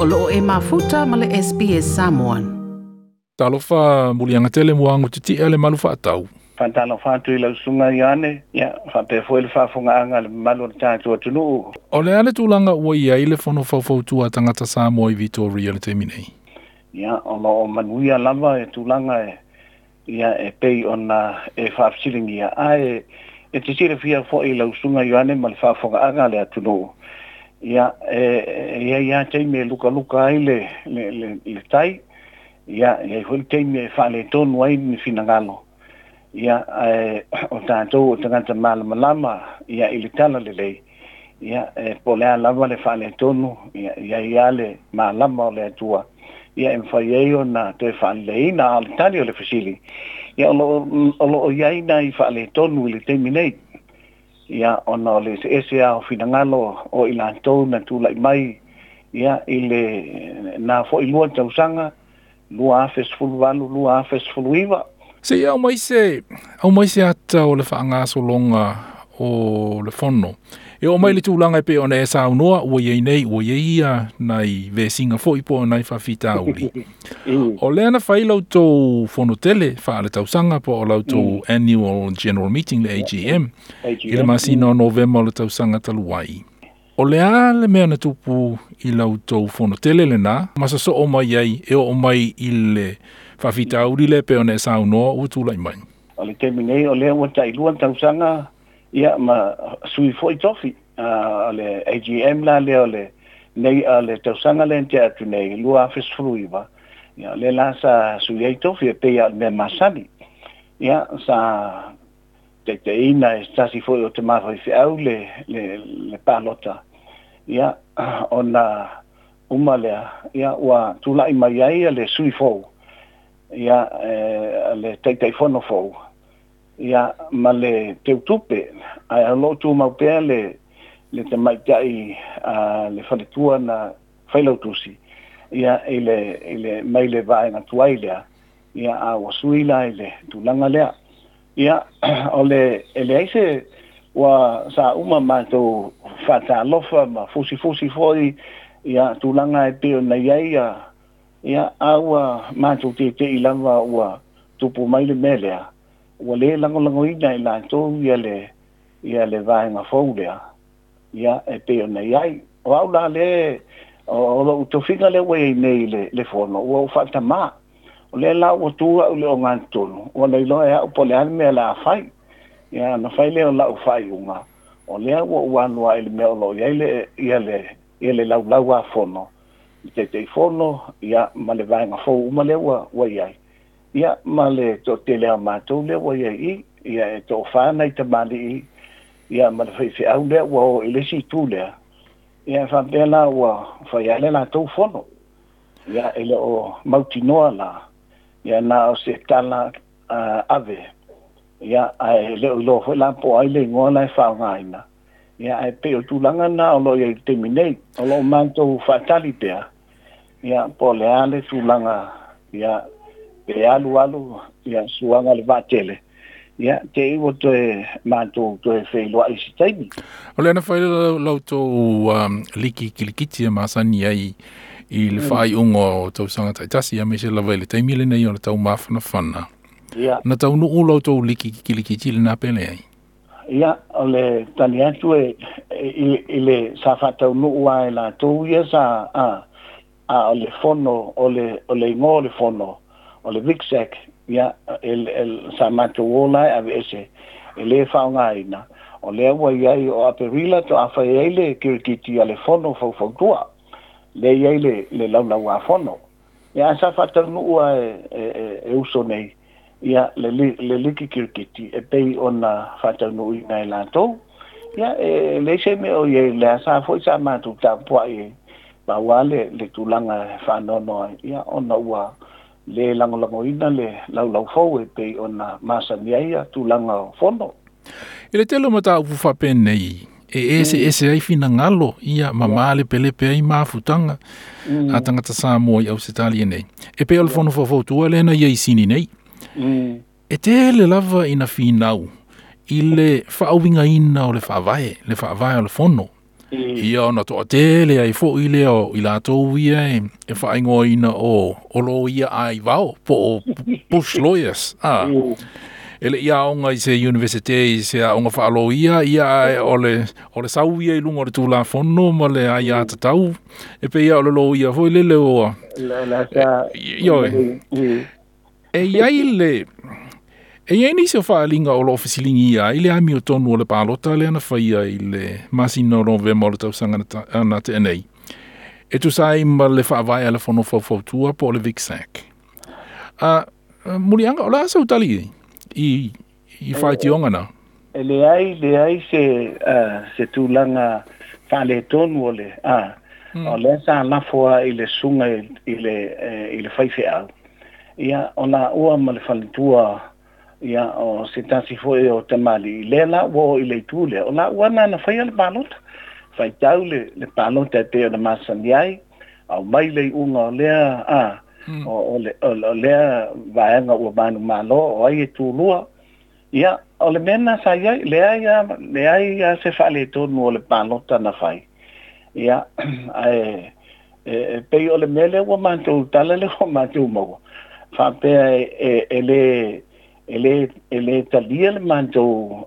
O loo e mafuta ma le SBS Samoan. Talofa muliaga tele muago titi'a le malu fa'atau. Faatalofa atu i lau susuga Ioane, ia faapea foi le faafogaaga a le mamalu o le tatou atunuu. O le a le tulaga ua i ai le fono faufautua a tagata Samoa i Vitoria i le taimi nei? Ia, o lo o manuia lava e tulaga e, ia e pei ona e faafesiligia, ae e te silafia foi i lau susuga Ioane ma le faafogaaga a le atunuu, ia e i ai lava taimi e lukaluka ai le, le, le, le tai, ia e i ai foi le taimi e faaletonu ai ni finagalo, ia ae o tatou o tagata malamalama ia i le tala lelei, ia e po o le a lava le faaletonu, ia e i ai lava le malama o le Atua, ia e mafai ai ona toe faaleleiina. A o le tali o le fesili, ia o lo o i ai nai faaletonu i le taimi nei, ia ona o le eseese lava o finagalo o i latou na tulai mai ia i le na foi 2 tausaga, 2018, 2019. Se i aumai se aumai se ata o le faagasologa o le fono. E oo mai le tulaga e pei ona e saunoa ua i ai nei, ua i ai ia nai vesiga foi po o nai faafitauli. O lea na fai la outou fono tele faaletausaga po o la outou annual general meeting le AGM i le masina o Novema o le tausaga talu ai. O le a le mea na tupu i la outou fono tele lenā ma sosoo mai ai e oo mai i le faafitauli lea e pei ona e saunoa ua tulai mai? O le taimi nei o lea ua tailua tausaga ia ma sui foi tofi o le AGM la lea o le nei o le tausaga lea na tea atu nei 2019, ia o lea la sa sui ai tofi e pei lava o le mea masani. Ia sa taitaiina e se tasi foi o tama faifeau le, le, le palota, ia ona uma lea, ia ua tulai mai ai le sui fou, ia le Taitaifono fou, ia ma le teutupe, ae o lo o tumau pea le, le tamaitai a le faletua na failautusi, ia i le, i le, mai le vaega tuai lea, ia a ua sui la i le tulaga lea. Ia, o le, e leai se, ua sa uma matou faatalofa ma fusifusi foi ia tulaga e pei ona i ai ia, ia a ua matou tete'i lava ua tupu mai le mea lea, ua le lagolagoina e latou ia le, ia le vaega fou lea, ia e pei ona i ai. O au la lea, o lou tofiga lea ua i ai nei i le, le fono, ua ou faatamā. O lea la ua tu au i le ogatotonu, ua le iloa e au po o le a le mea o le a fai. Ia ona fai lea o lau faaiuga, o lea ua ou alu lava i le mea o lo o i ai le, ia le, ia le laulau-a-fono, le Taitaifono, ia ma le vaega fou uma lea ua, ua i ai, ia ma le toatele lava o matou lea ua i ai i i, ia e toafa nai tamalii, ia ma le faifeau lea ua o i le isi itu lea, ia e faapea la ua fai lava le latou fono. Ia e le o mautinoa la, ia na o se tala ave, ia ae le o iloa foi la po o ai le igoa la e faaaogaina, ia ae pei o le tulaga lena o lo o i ai i le taimi nei. O lo o matou faatali pea, ia po o le a le tulaga, ia pe alu alu ia suaga le vaatele, ia te i ua toe matou toe feiloai i se taimi. O lea na fai la outou liki kilikiti e masani ai i le faaiuga o tausaga taitasi, aemaise lava i le taimi lenei o le taumafanafana. Ia. Na taunuu la outou liki kilikiti lenā pe leai? Ia, o le tali atu e, i, i le sa faataunuu lava e latou ia sa, a, a o le fono, o le, o le igoa o le fono, o le VICSEC, ia, e, e, sa matou o la e aveese, e le faaaogaina, o lea ua i ai o Aperila toa fai ai le kirikiti a le fono faufautua, lea e i ai le, le laulauafono. Ia, ae sa faataunuu lava e, e, e, e uso nei, ia, le, le liki kirikiti e pei ona faataunuuina e latou. Ia, e leai se mea o i ai, lea sa foi sa matou tapuai e pau lava le, le tulaga e faanoanoa ai, ia, ona ua le lagolagoina le laulau fou e pei ona masani ai ia tulaga o fono. I le tele o mataupu faapenei, e eseese ai finagalo, ia, ma malepelepe ai mafutaga a tagata Samoa i Ausetalia nei. E pei o le fono faufautua lea na i ai i Sini nei. E tele lava ina finau i le faauigaina o le faavae, le faavae o le fono. Ia ona toatele ai foʻi lea o i latou ia e faaigoaina o loia aivao po o bush lawyers a e leʻi aoga i se universite i se aoga faaloia ia ae o le sau ia i luga o le tulafono ma le aiātatau e pei o le loia foi lele ua ioe e iai le e iai nisi o faaliga o loo fesiligia ai le amiotonu o le palota lea na faia i le masina o Novema o le tausaga na tea nei e tusa ai ma le faavae a le Fono Faufautua po o le VICSAC. A Muliaga, o le a sau tali i faitioga na? E leai se tulaga faaletonu o le o lea sa lafo a i le susuga i le faifeau ia o laua ma le faletua ia o se tasi foi o tamalii lea la ua oo i le itu lea o laua na faia le palota faitau le palota e pei ona masani ai aumai le iuga o lea o lea vaega ua manumalo o ai e tulua ia o le mea na sa iai leai se faaletonu o le palota na fai ia ae e pei o le mea lea ua matou tala lea ua matou maua faapea e le talia le matou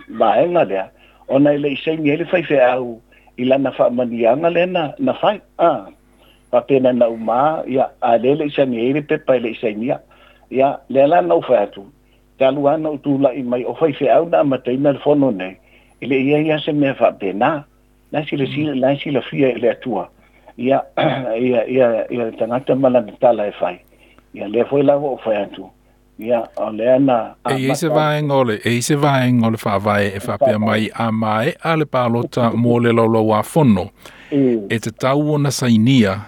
vaega lea ona e le i saini ai le faifeau i lana faamaniaga lea na fai faapena na uma ia a le le i saini ai le pepa e le i sainia ia lea la na ou fai atu talu ana ou tula'i mai o faifeau na amataina le fono nei e le i ai a se mea faapena la silasila la silafia i le Atua ia ia ia ia le tagata ma lana tala e fai ia lea foi la ua ou fai atu ia o lea na E i se vaega o le e i se vaega o le faavae e faapea mai a mae'a le palota mo le laulauāfono e tatau ona sainia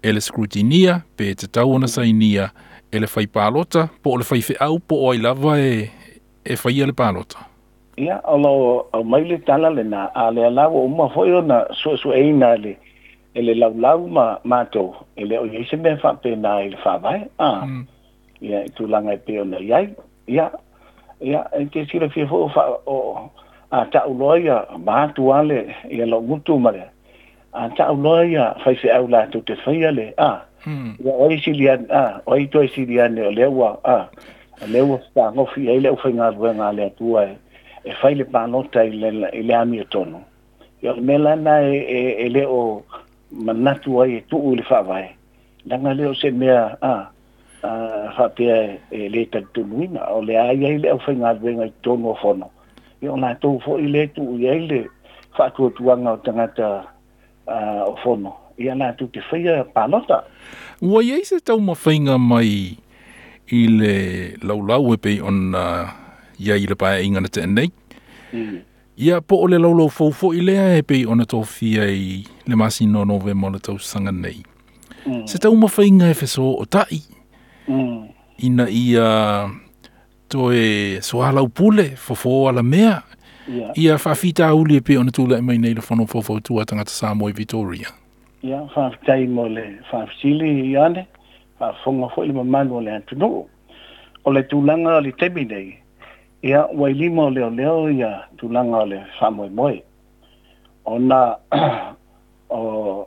e le scrutineer pe tatau ona sainia e le fai palota po o le faifeau po o ai lava e faia le palota. Ia o lo aumai le tala lena a lea la ua uma foi ona suesueina e le laulau ma matou e le o iai se mea faapena i le faavae ia i tulaga e pei ona iai ia e te silafia foi o fa o a ta'u loa ia maatu a le ia lo'u gutu ma le a ta'u loa ia faifeau latou te faia le ia o ai sili ane o ai toe sili ane o lea ua o lea ua fetagofi ai le aufaigaluega a le Atua e fai le palota i le amiotonu ia o le mea lana e le o manatu ai e tuu i le faavae leaga lea o se mea faapea e le talitonuina o le a iai le aufaigaluega i totonu o fono ia o latou foi le tuu i ai le faatuatuaga o tagata o fono ia latou te faia palota. Ua iai se taumafaiga mai i le laulau e pei ona iai i le paeaiga na tea nei ia po o le laulau fou foʻi lea e pei ona tofia i le masina o Novema o le tausaga nei se taumafaiga e fesootaʻi ina ia toe soalaupule fofō alamea ia faafitauli e pei ona tulaʻi mai nei le Fono Faufautua tagata Samoa i Victoria. Ia faafetai mo le faafesili Ioane, faafofoga foi le mamalu o le atunuu. O le tulaga o le taimi nei, ia ua i lima o leoleo ia tulaga o le faamoemoe. Ona o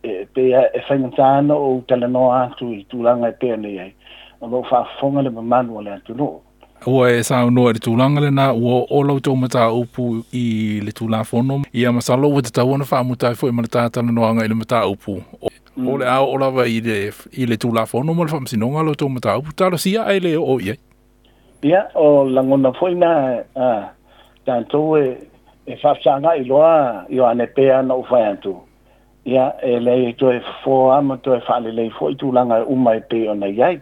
e pei e faigata ana ou talanoa atu i tulaga e pei ona i ai, o lo o faafofoga le mamalu o le atunuu. Ua e saunoa i le tulaga lena ua oo la outou mataupu i le Tulafono ia masalo ua tatau ona faamuta ai foi ma le tatalanoaga i le mataupu o le a oo lava i le Tulafono ma le Faamasinoga la outou mataupu talosia ae le oo i ai. Ia, o lagona foi na tatou e faafesagaʻi loa Ioane pe ana ou fai atu. Ia, e leai e toe fofo lava ma toe faalelei foi tulaga e uma e pei ona i ai.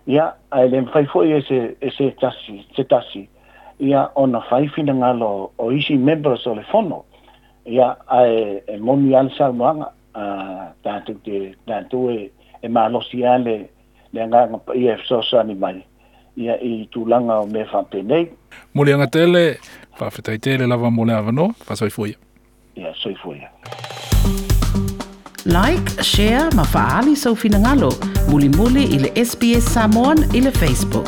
Ia, ae le mafai foi e se tasi, se tasi, ia ona fai finagalo o isi members o le fono. Ia, ae e moni lava le saunoaga, tatou e malosi lava le agaga paia e fesoasoani mai ia i tulaga o mea faapenei. Muliaga tele, faafetai tele lava mo le avanoa, faasoifua ia. Ia, soifua ia. Like, share ma faaali sou finagalo. Mulimuli i le SBS Samoan i le Facebook.